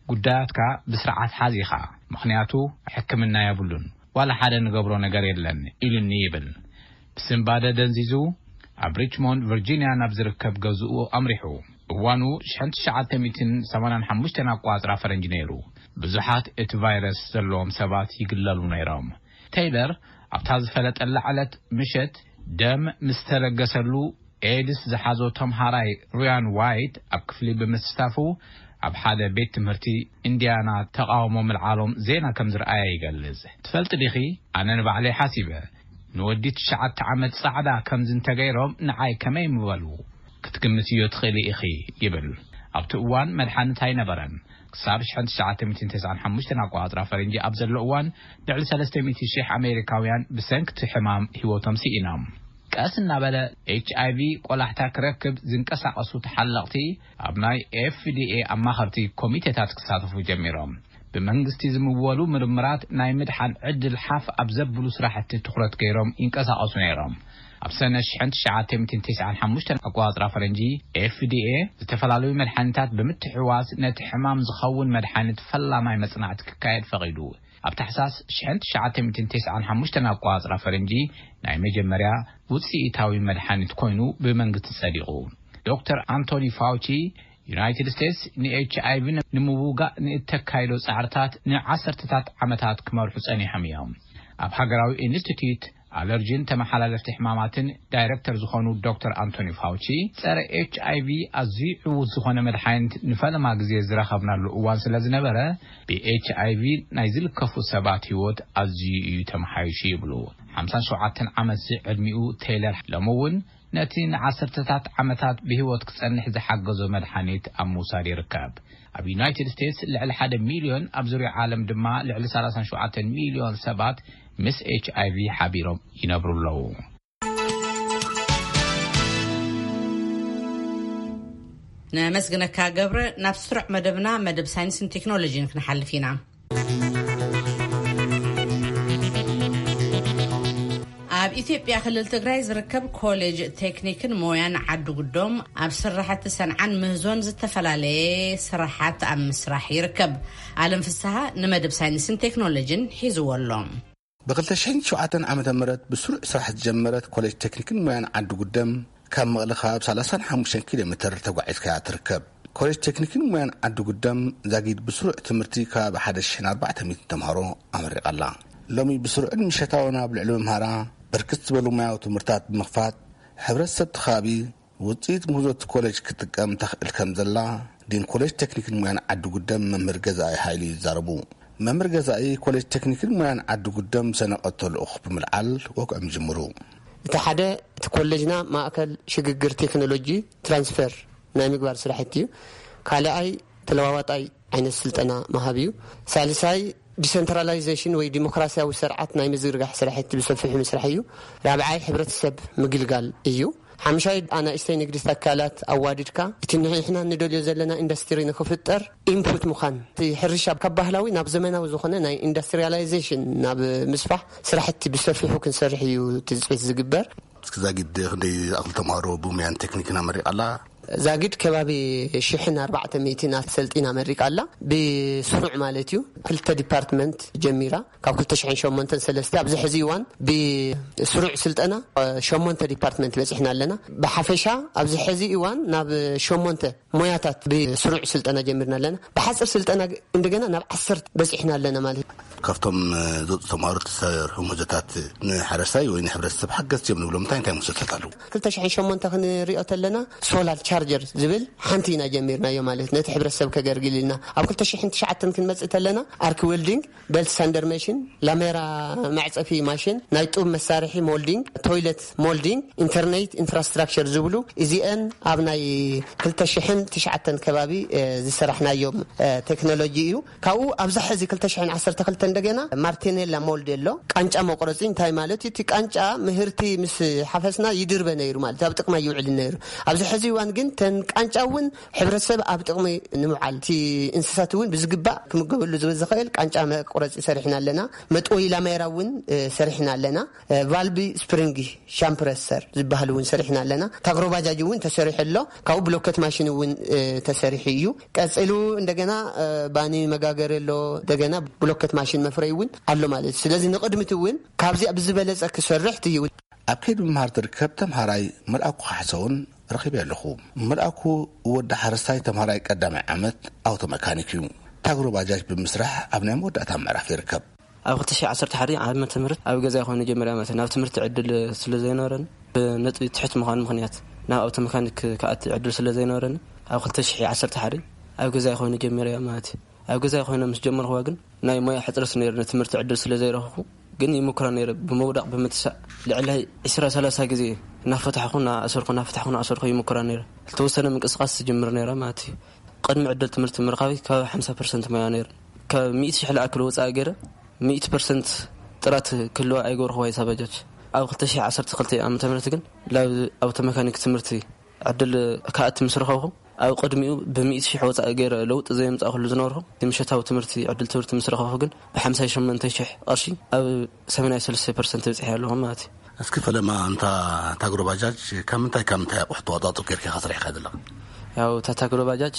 ጉዳያትካ ብስርዓት ሓዝ ኢኻ፣ ምኽንያቱ ሕክምና የብሉን፣ ዋላ ሓደ ንገብሮ ነገር የለን ኢሉኒ ይብል። ብስንባደ ደንዚዙ ኣብ ሪችሞንድ ቨርጂንያ ናብ ዝርከብ ገዝኡ ኣምሪሑ። እዋኑ ሽሕን ትሽዓተ ሚእትን ሰማንያን ሓሙሽተን ኣቋጽራ ፈረንጂ ነይሩ። ብዙሓት እቲ ቫይረስ ዘለዎም ሰባት ይግለሉ ነይሮም። ቴይለር ኣብታ ዝፈለጠላ ዕለት ምሸት ደም ምስ ተለገሰሉ ኤድስ ዝሓዞ ተምሃራይ ሩያን ዋይት ኣብ ክፍሊ ብምስታፉ ኣብ ሓደ ቤት ትምህርቲ ኢንዲያና ተቓውሞ ምልዓሎም ዜና ከም ዝረኣየ ይገልጽ። ትፈልጢ ዲኺ? ኣነ ንባዕለይ ሓሲበ ንወዲ ትሽዓተ ዓመት ጻዕዳ ከምዚ እንተገይሮም ንዓይ ከመይ ምበሉ ክትግምትዮ ትኽእሊ ኢኺ ይብል። ኣብቲ እዋን መድሓኒት ኣይነበረን። ክሳብ ሽሕን ትሽዓተ ሚእትን ተስዓን ሓሙሽተን ኣቆጻጽራ ፈረንጂ ኣብ ዘሎ እዋን ልዕሊ ሰለስተ ሚእቲ ሽሕ ኣሜሪካውያን ብሰንኪ እቲ ሕማም ህይወቶም ስኢኖም። ቀስ እናበለ ኤች ኣይ ቪ ቆላሕታ ክረክብ ዝንቀሳቐሱ ተሓለቕቲ ኣብ ናይ ኤፍ ዲ ኤ ኣማኸርቲ ኮሚቴታት ክሳተፉ ጀሚሮም። ብመንግስቲ ዝምወሉ ምርምራት ናይ ምድሓን ዕድል ሓፍ ኣብ ዘብሉ ስራሕቲ ትኹረት ገይሮም ይንቀሳቐሱ ነይሮም። ኣብ ሰነ ሽሕን ትሽዓተ ሚእትን ተስዓን ሓሙሽተን ኣቆጻጽራ ፈረንጂ ኤፍ ዲ ኤ ዝተፈላለዩ መድሓኒታት ብምትሕውዋስ ነቲ ሕማም ዝኸውን መድሓኒት ፈላማይ መጽናዕቲ ክካየድ ፈቒዱ። ኣብ ታሕሳስ ሽሕን ትሽዓተ ሚእትን ተስዓን ሓሙሽተን ኣቆጻጽራ ፈረንጂ ናይ መጀመርያ ውጽኢታዊ መድሓኒት ኮይኑ ብመንግስቲ ጸዲቑ። ዶክተር ኣንቶኒ ፋውቺ ዩናይትድ ስቴትስ ንኤች ኣይ ቪ ንምውጋእ ንእተካይዶ ጻዕርታት ንዓሰርተታት ዓመታት ክመርሑ ጸኒሖም እዮም። ኣብ ሃገራዊ ኢንስቲትዩት ኣለርጂን ተመሓላለፍቲ ሕማማትን ዳይረክተር ዝኾኑ ዶክተር ኣንቶኒ ፋውቺ፣ ጸረ ኤች ኣይ ቪ ኣዝዩ ዕዉት ዝኾነ መድሓኒት ንፈለማ ግዜ ዝረኸብናሉ እዋን ስለ ዝነበረ፣ ብኤች ኣይ ቪ ናይ ዝልከፉ ሰባት ህይወት ኣዝዩ እዩ ተመሓይሹ ይብሉ። ሓምሳን ሸውዓተን ዓመት ዝዕድሚኡ ቴይለር ሎሚ እውን ነቲ ንዓሰርተታት ዓመታት ብህይወት ክጸንሕ ዝሓገዞ መድሓኒት ኣብ ምውሳድ ይርከብ። ኣብ ዩናይትድ ስቴትስ ልዕሊ ሓደ ሚልዮን፣ ኣብ ዙርያ ዓለም ድማ ልዕሊ ሰላሳን ሸውዓተን ሚልዮን ሰባት ምስ ኤች ኣይ ቪ ሓቢሮም ይነብሩ ኣለዉ። ነመስግነካ ገብረ። ናብ ስሩዕ መደብና፣ መደብ ሳይንስን ቴክኖሎጂን ክንሓልፍ ኢና። ኣብ ኢትዮጵያ ክልል ትግራይ ዝርከብ ኮሌጅ ቴክኒክን ሞያን ዓዲ ጉዶም ኣብ ስራሕቲ ሰንዓን ምህዞን ዝተፈላለየ ስራሓት ኣብ ምስራሕ ይርከብ። ኣለም ፍስሃ ንመደብ ሳይንስን ቴክኖሎጂን ሒዝዎ ኣሎ። ብ2007 ዓመተ ምህረት ብስሩዕ ስራሕ ዝጀመረት ኮሌጅ ቴክኒክን ሞያን ዓዲ ጉደም ካብ መቐለ ከባቢ 35 ኪሎ ሜትር ተጓዒዝካ እያ ትርከብ። ኮሌጅ ቴክኒክን ሞያን ዓዲ ጉደም ዛጊድ ብስሩዕ ትምህርቲ ከባቢ 1,400 ተምሃሮ ኣመሪቓ ኣላ። ሎሚ ብስሩዕን ምሸታውን ኣብ ልዕሊ መምሃራ ብርክት ዝበሉ ሞያዊ ትምህርታት ብምኽፋት ሕብረተሰብ እቲ ከባቢ ውፅኢት ምህዞ እቲ ኮሌጅ ክጥቀም ተኽእል ከም ዘላ ዲን ኮሌጅ ቴክኒክን ሞያን ዓዲ ጉደም መምህር ገዛኢ ሃይሉ ይዛረቡ። መምህር ገዛኢ ኮሌጅ ቴክኒክን ሞያን ዓዲ ጉደም ሰነቐቶ ልኡኽ ብምልዓል ወግዖም ይጅምሩ። እቲ ሓደ እቲ ኮሌጅና ማእከል ሽግግር ቴክኖሎጂ ትራንስፈር ናይ ምግባር ስራሕቲ እዩ። ካልኣይ ተለዋዋጣይ ዓይነት ስልጠና መሃብ እዩ። ሳልሳይ ዲሰንትራላይዜሽን ወይ ዲሞክራሲያዊ ስርዓት ናይ ምዝርጋሕ ስራሕቲ ብሰፊሑ ምስራሕ እዩ። ራብዓይ ሕብረተሰብ ምግልጋል እዩ። ሓምሻይ ኣናእሽተይ ንግዲ ተካላት ኣዋዲድካ እቲ ንሕና ንደልዮ ዘለና ኢንዱስትሪ ንክፍጠር ኢንፑት ምዃን፣ እቲ ሕርሻ ካብ ባህላዊ ናብ ዘመናዊ ዝኾነ ናይ ኢንዱስትሪያላይዜሽን ናብ ምስፋሕ ስራሕቲ ብሰፊሑ ክንሰርሕ እዩ ትፅቢት ዝግበር። እስኪ ዛጊድ ክንደይ ዝኣኽል ተምሃሮ ብሙያን ቴክኒክን ኣመሪቓ ኣላ? ዛጊድ ከባቢ ሽሕን ኣርባዕተ ሚእትን ኣሰልጢና መሪቃ ኣላ። ብስሩዕ ማለት እዩ። ክልተ ዲፓርትመንት ጀሚራ ካብ ክልተ ሽሕን ሸሞንተን ሰለስተ ኣብዚ ሕዚ እዋን ብስሩዕ ስልጠና ሸሞንተ ዲፓርትመንት በፂሕና ኣለና። ብሓፈሻ ኣብዚ ሕዚ እዋን ናብ ሸሞንተ ሞያታት ብስሩዕ ስልጠና ጀሚርና ኣለና። ብሓፂር ስልጠና እንደገና ናብ ዓሰርተ በፂሕና ኣለና ማለት እዩ። ካብቶም ዝወፁ ተምሃሮ ተሰርሑ ምህዞታት ንሓረስታይ ወይ ንሕብረተሰብ ሓገዝቲ እዮም ንብሎም እንታይ እንታይ ምህዞታት ኣለዉ? ክልተ ሽሕን ሸሞንተ ክንሪኦ ተለና ሶላር ቻርጀር ዝብል ሓንቲ ኢና ጀሚርናዮ ማለት ነቲ ሕብረተሰብ ከገርግል ኢልና። ኣብ ክልተ ሽሕን ትሽዓተን ክንመፅእ ተለና ኣርክ ዌልዲንግ፣ በልት ሳንደር መሽን፣ ላሜራ መዕፀፊ ማሽን፣ ናይ ጡብ መሳርሒ ሞልዲንግ፣ ቶይለት ሞልዲንግ፣ ኢንተርኔት ኢንፍራስትራክቸር ዝብሉ እዚአን ኣብ ናይ ክልተ ሽሕን ትሽዓተን ከባቢ ዝሰራሕናዮም ቴክኖሎጂ እዩ። ካብኡ ኣብዚ ሕዚ ክልተ ሽሕን ዓሰርተ ክልተ እንደገና ማርቴኔላ ሞልድ ኣሎ። ቃንጫ መቁረፂ እንታይ ማለት እዩ? እቲ ቃንጫ ምህርቲ ምስ ሓፈስና ይድርበ ነይሩ ማለት ኣብ ጥቅማ ይውዕል ነይሩ። ኣብዚ ሕዚ እዋን ግን ተን ቃንጫ እውን ሕብረተሰብ ኣብ ጥቅሚ ንምውዓል እቲ እንስሳት እውን ብዝግባእ ክምገበሉ ዝብል ዝኽእል ቃንጫ መቁረፂ ሰሪሕና ኣለና። መጥወይ ላሜራ እውን ሰሪሕና ኣለና። ቫልቢ ስፕሪንግ ሻምፕረሰር ዝበሃል እውን ሰሪሕና ኣለና። ታግሮ ባጃጅ እውን ተሰሪሑ ኣሎ። ካብኡ ብሎከት ማሽን እውን ተሰሪሑ እዩ። ቀፂሉ እንደገና ባኒ መጋገሪ ኣሎ። እንደገና ብሎከት ማሽን መፍረይ እውን ኣሎ ማለት እዩ። ስለዚ ንቕድሚት እውን ካብዚኣ ብዝበለፀ ክሰርሕ ትይውን። ኣብ ከይዲ ምምሃር ትርከብ ተምሃራይ መልኣኩ ካሕሰውን ረኺበ ኣለኹ። መልኣኩ ወዲ ሓረስታይ ተምሃራይ ቀዳማይ ዓመት ኣውቶ መካኒክ እዩ። ታግሮ ባጃጅ ብምስራሕ ኣብ ናይ መወዳእታ ምዕራፍ ይርከብ። ኣብ ክልተ ሽሕ ዓሰርተ ሓደ ዓመተ ምህረት ኣብ ገዛይ ኮይኑ ጀመረ ማለት ናብ ትምህርቲ ዕድል ስለ ዘይነበረን ብነጥቢ ትሕት ምዃን ምኽንያት ናብ ኣውቶ መካኒክ ክኣቲ ዕድል ስለ ዘይነበረን ኣብ ክልተ ሽሕ ዓሰርተ ሓደ ኣብ ገዛይ ኮይኑ ጀመረ ማለት እዩ። ኣብ ገዛይ ኮይነ ምስ ጀመርኩዋ ግን ናይ ሞያ ሕፅረት ነይሩ፣ ንትምህርቲ ዕድል ስለ ዘይረኸብኩ ግን ይምኩራ ነይረ። ብምውዳቕ ብምትሳእ ልዕሊ ዕስራ ሰላሳ ግዜ እናፈታሕኩ እናኣሰርኩ እናፈታሕኩ እናኣሰርኩ ይምኩራ ነይረ። ዝተወሰነ ምንቅስቃስ ትጅምር ነይረ ማለት እዩ። ቅድሚ ዕድል ትምህርቲ ምርካበይ ካብ ሓምሳ ፐርሰንት ሞያ ነይሩ። ካብ ሚእቲ ሽሕ ዝኣክል ወፃኢ ገይረ ሚእቲ ፐርሰንት ጥራት ክህልዋ ኣይገበርኩዋ እዛ ባጃጅ። ኣብ ክልተ ሽሕ ዓሰርተ ክልተ ዓመተ ምህረት ግን ላብ ኣውቶ መካኒክ ትምህርቲ ዕድል ክኣቲ ምስ ረኸብኩ ኣብ ቅድሚኡ ብሚእቲ ሽሕ ወፃኢ ገይረ ለውጢ ዘየምፃእኩሉ ዝነበርኩ እቲ ምሸታዊ ትምህርቲ ዕድል ትምህርቲ ምስ ረኸብኩ ግን ብሓምሳ ሸሞንተ ሽሕ ቅርሺ ኣብ ሰማንያ ሰለስተ ፐርሰንት በፂሐ ኣለኹ ማለት እዩ። እስኪ ፈለማ እንታ ታግሮ ባጃጅ ካብ ምንታይ ካብ ምንታይ ኣቑሑ ተዋፃፅኦ ጌርካ ኢኻ ሰሪሕካ ዘለኻ? ያው እታ ታግሮ ባጃጅ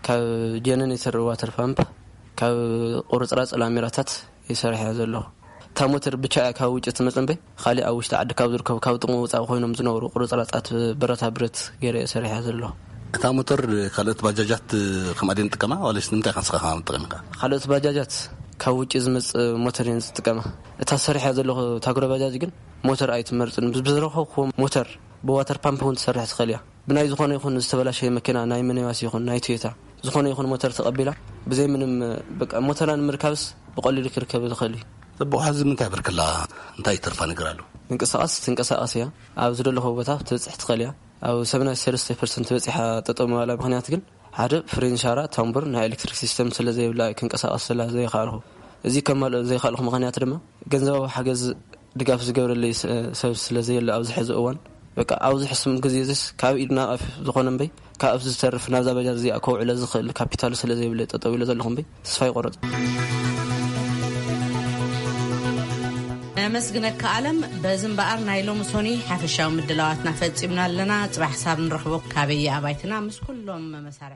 ካብ ጀነሬተር ዋተር ፓምፕ ካብ ቁርፅራፅ ላሜራታት ይሰርሕ እያ ዘለኹ። እታ ሞተር ብቻ እያ ካብ ውጭ ትመፅእ እምበይ፣ ካሊእ ኣብ ውሽጢ ዓዲ ካብ ዝርከቡ ካብ ጥቕሚ ወፃኢ ኮይኖም ዝነበሩ ቁርፅራፃት ብረታ ብረት ገይረ እየ ሰሪሐ ዘለኹ። እታ ሞተር ካልኦት ባጃጃት ከምኣ ድየን ጥቀማ ዋለስ ንምንታይ ኢኻ ንስኻ ከምኣ ትጥቀም ኢኻ? ካልኦት ባጃጃት ካብ ውጭ ዝመፅእ ሞተር እየን ዝጥቀማ። እታ ሰሪሐ ዘለኹ ታግሮ ባጃጅ ግን ሞተር ኣይትመርፅን። ብዝረኸብኩዎ ሞተር ብዋተር ፓምፕ እውን ትሰርሕ ትኽእል እያ። ብናይ ዝኾነ ይኹን ዝተበላሸየ መኪና፣ ናይ ሚኒባስ ይኹን ናይ ቶዮታ፣ ዝኾነ ይኹን ሞተር ተቐቢላ ብዘይ ምንም፣ በቃ፣ ሞተራ ንምርካብስ ብቐሊሉ ክርከብ ዝኽእል እዩ። ጽቡቕ፣ ሕዚ ምንታይ ብርክላ? እንታይ ይተርፋ ነገር ኣሎ? ምንቅስቓስ ትንቀሳቐስ እያ። ኣብ ዝደለኹዎ ቦታ ክትበጽሕ ትኽእል እያ። ኣብ ሰብዓን ሰለስተን ፐርሰንት በጺሓ ጠጠው ምባላ ምኽንያት ግን ሓደ ፍሬን ሻራ፣ ታምቡር፣ ናይ ኤሌክትሪክ ሲስተም ስለ ዘይብላ ክንቀሳቐስ ስለ ዘይከኣልኹ። እዚ ከማልኦ ዘይከኣልኹ ምኽንያት ድማ ገንዘባዊ ሓገዝ ድጋፍ ዝገብረለይ ስ-፣ ሰብ ስለ ዘየለ ኣብዚ ሕዚ እዋን፣ በቃ፣ ኣብዚ ሕሱም ግዜ እዚስ ካብ ኢድ ናብ ኣፍ ዝኾነ እምበይ፣ ካብ ኣፍ ዝተርፍ ናብዛ ባጃጅ እዚኣ ከውዕሎ ዝኽእል ካፒታል ስለ ዘይብለ ጠጠው ኢለ ዘለኹ እምበይ፣ ተስፋ ይቆረጽ። መስግነካ ኣለም። በዚ እምበኣር ናይ ሎሚ ሶኒ ሓፈሻዊ ምድላዋትና ፈጺምና ኣለና። ጽባሕ ክሳብ ንረኽቦ፣ ካበየ ኣባይትና ምስ ኩሎም መሳርሒ